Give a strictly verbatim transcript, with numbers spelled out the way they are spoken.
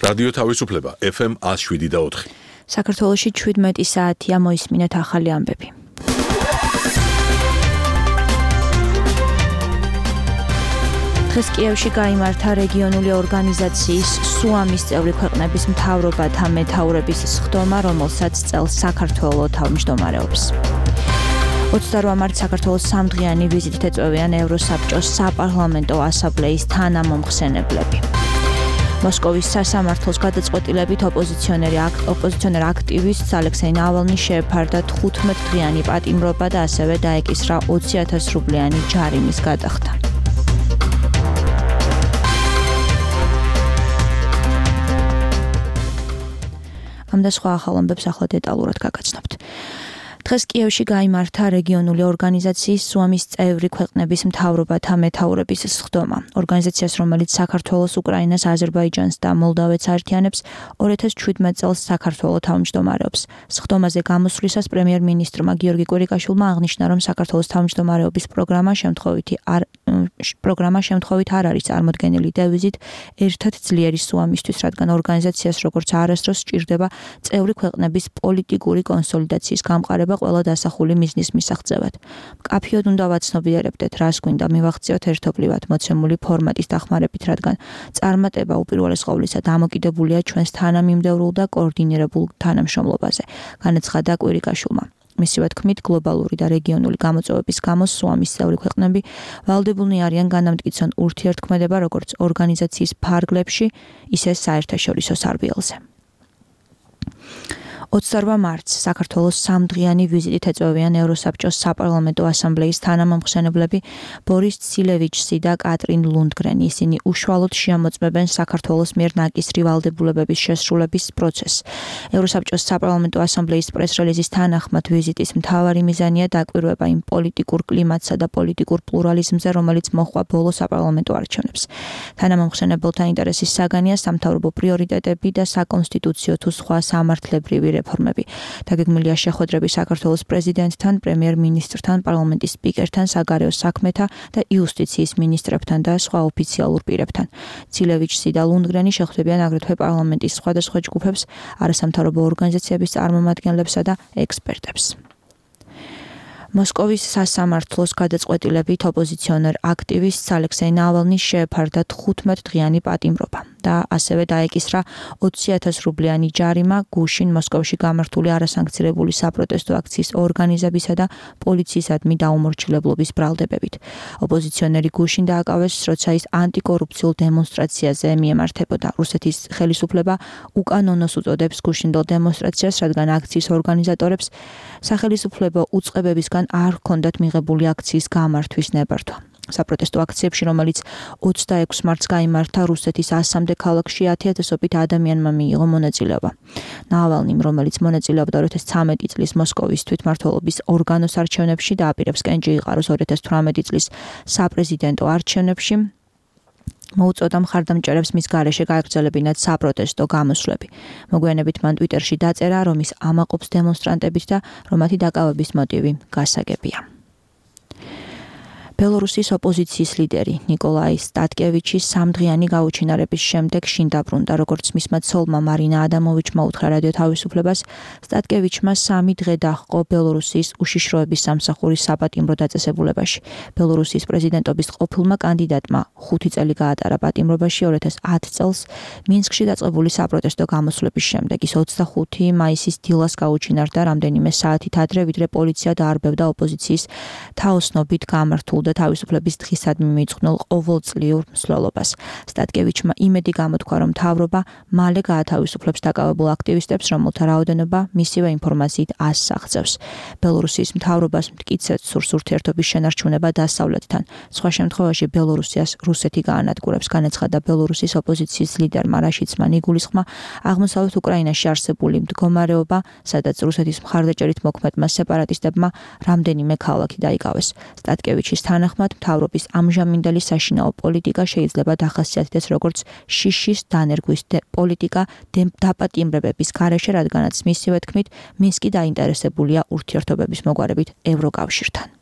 რადიო თავისუფლება ეფ ემ one oh seven და four. საქართველოში შვიდმეტი საათია, მოისმინეთ ახალი ამბები. დღეს კიევში გაიმართა რეგიონული ორგანიზაციის სუამის წევრი ქვეყნების მთავრობათა მეთაურების სხდომა, რომელსაც წელს საქართველო თავმჯდომარეობს. ოცდაოთხ მარტს საქართველოს სამდღიანი ვიზიტით ეწვევიან ევროსაბჭოს საპარლამენტო ასამბლეის თანამომხსენებლები. მოსკოვის სასამართლოს გადაწყვეტილებით ოპოზიციონერი ოპოზიციონერ აქტივისტს ალექსეი ნავალნის შეეფარდა თხუთმეტ დღიანი პატიმრობა და ასევე დაეკისრა ოცი ათას რუბლიანი ჯარიმის გადახდა. ამ და სხვა ახალ ამბებს ახლა დეტალურად გაგაცნობთ. დღეს კიევში გაიმართა რეგიონული ორგანიზაციის სუამის წევრი ქვეყნების მთავრობათა მეთაურების სხდომა. ორგანიზაციას, რომელიც საქართველოს, უკრაინას, აზერბაიჯანს და მოლდავეთს აერთიანებს, ორი ათას შვიდმეტ წელს საქართველო თავმჯდომარეობს. სხდომაზე გამოსვლისას პრემიერ-მინისტრმა გიორგი კვირიკაშვილმა აღნიშნა, რომ საქართველოს თავმჯდომარეობის პროგრამა შემთხვევითი არ პროგრამა შემთხვევით არ არის წარმოდგენილი დევიზით ერთად ძლიერი სუამისთვის, რადგან ორგანიზაციას როგორც არასდროს სჭირდება წევრი ქვეყნების პოლიტიკური კონსოლიდაციის გამყარება ყველა დასახული მიზნის მისაღწევად. მკაფიოდ უნდა ვაცნობიერებდეთ, რას გვინდა მივაღწიოთ ერთობლივად მოცემული ფორმატის დახმარებით, რადგან წარმატება უპირველეს ყოვლისა დამოკიდებულია ჩვენს თანამიმდევრულ და კოორდინირებულ თანამშრომლობაზე, განაცხადა კვირიკაშვილმა. მისივე თქმით, გლობალური და რეგიონული გამოწვევების გამო სუამის წევრი ქვეყნები ვალდებულნი არიან განამტკიცონ ურთიერთქმედება როგორც ორგანიზაციის ფარგლებში, ისე საერთაშორისო სარბიელზე. ოცდაოთხ მარტს საქართველოს სამდღიანი ვიზიტით ეწვევიან ევროსაბჭოს საპარლამენტო ასამბლეის თანამომხსენებლები ბორის ცილევიჩსი და კატრინ ლუნდგრენი. ისინი უშუალოდ შეამოწმებენ საქართველოს მიერ ნაკისრი ვალდებულებების შესრულების პროცესს. ევროსაბჭოს საპარლამენტო ასამბლეის პრეს-რელიზის თანახმად ვიზიტის მთავარი მიზანია დაკვირვება იმ პოლიტიკურ კლიმატსა და პოლიტიკურ პლურალიზმზე, რომელიც მოჰყვა ბოლო საპარლამენტო არჩევნებს. თანამომხსენებელთა ინტერესის საგანია სამთავრობო პრიორიტეტები და საკონსტიტუციო თუ სხვა სამართლებრივი რეფორმები. დაგეგმილია შეხვედრები საქართველოს პრეზიდენტთან, პრემიერ-მინისტრთან, პარლამენტის სპიკერთან, საგარეო საქმეთა და იუსტიციის მინისტრებთან და სხვა ოფიციალურ პირებთან. ცილევიჩსი და ლუნდგრენი შეხვდებიან აგრეთვე პარლამენტის სხვადასხვა ჯგუფებს, არასამთავრობო ორგანიზაციების წარმომადგენლებსა და ექსპერტებს. მოსკოვის სასამართლოს გადაწყვეტილებით ოპოზიციონერ აქტივისტს ალექსეი ნავალნის შეეფარდა თხუთმეტ დღიანი პატიმრობა და ასევე დაეკისრა ოცი ათას რუბლიანი ჯარიმა გუშინ მოსკოვში გამართული არასანქცირებული საპროტესტო აქციის ორგანიზებისა და პოლიციისადმი დაუმორჩილებლობის ბრალდებებით. ოპოზიციონერი გუშინ დააკავეს, როცა ის ანტიკორუფციულ დემონსტრაციაზე მიემართებოდა. რუსეთის ხელისუფლება უკანონოს უწოდებს გუშინდელ დემონსტრაციას, რადგან აქციის ორგანიზატორებს სახელისუფლებო უწყებებისგან არ ჰქონდათ მიღებული აქციის გამართვის ნებართვა. საპროტესტო აქციებში, რომელიც ოცდაექვსი მარტს გაიმართა რუსეთის ასამდე ქალაქში, ათი ათასობით ადამიანმა მიიღო მონაწილეობა. ნავალნიმ, რომელიც მონაწილეობდა ორი ათას ცხრამეტი წლის მოსკოვის თვითმმართველობის ორგანოს არჩევნებში და აპირებს კენჭი იყაროს ორი ათას თვრამეტი წლის საპრეზიდენტო არჩევნებში, მოუწოდა მხარდამჭერებს მის გარეშე გაეგრძელებინათ საპროტესტო გამოსვლები. მოგვიანებით მან ტვიტერში დაწერა, რომ ის ამაყობს დემონსტრანტებით და რომ მათი დაკავების მოტივი გასაგებია. ბელორუსის ოპოზიციის ლიდერი ნიკოლაი სტატკევიჩი სამდღიანი გაუჩინარების შემდეგ შინ დაბრუნდა, როგორც მისმა ცოლმა მარინა ადამოვიჩმა უთხრა რადიო თავისუფლებას. სტატკევიჩმა სამი დღე დაჰყო ბელორუსის უშიშროების სამსახურის საპატიმრო დაწესებულებაში. ბელორუსის პრეზიდენტობის ყოფილმა კანდიდატმა ხუთი წელი გაატარა პატიმრობაში ორი ათას ათი წელს მინსკში დაწყებული საპროტესტო გამოსვლების შემდეგ. ის ოცდახუთი მაისის დილას გაუჩინარდა რამდენიმე საათით ადრე, ვიდრე პოლიცია დაარბევდა ოპოზიციის თაოსნობით გამართულ და თავისუფლების დღისადმი მიწყვნილ ყოველწლიურ მსვლელობას. სტატკევიჩმა იმედი გამოთქვა, რომ მთავრობა მალე გაათავისუფლებს დაკავებულ აქტივისტებს, რომელთა რაოდენობა მისივე ინფორმაციით ასს აღწევს. ბელორუსის მთავრობას მტკიცედ სურს ურთიერთობის შენარჩუნება დასავლეთთან. სხვა შემთხვევაში ბელორუსიას რუსეთი გაანადგურებს, განაცხადა ბელორუსის ოპოზიციის ლიდერმა რაშიცმა ნიგულისხმა. აღმოსავლეთ უკრაინაში არსებული მდგომარეობა, სადაც რუსეთის მხარდაჭერით მოქმედმა სეპარატისტებმა რამდენიმე ქალაქი დაიკავეს. სტატკევიჩის თანახმად, მთავრობის ამჟამინდელი საშინაო პოლიტიკა შეიძლება დახასიათდეს როგორც შიშის დანერგვის პოლიტიკა დაპატიმრებების გარეშე, რადგანაც მისივე თქმით, მინსკი დაინტერესებულია ურთიერთობების მოგვარებით ევროკავშირთან.